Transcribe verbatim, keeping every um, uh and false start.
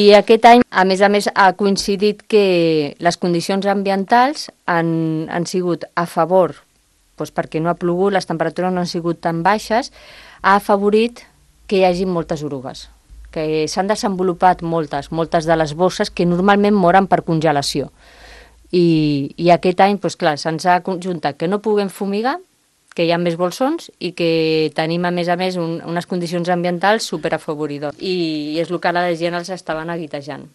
I aquest any, a més a més, ha coincidit que les condicions ambientals han, han sigut a favor, doncs perquè no ha plogut, les temperatures no han sigut tan baixes, ha afavorit que hi hagi moltes orugues, que s'han desenvolupat moltes, moltes de les bosses que normalment moren per congelació. I, i aquest any, doncs clar, se'ns ha conjuntat que no puguem fumigar, que hi ha més bolsons i que tenim, a més a més, un, unes condicions ambientals superafavoridores. I, I és el que la gent els estaven aguitejant.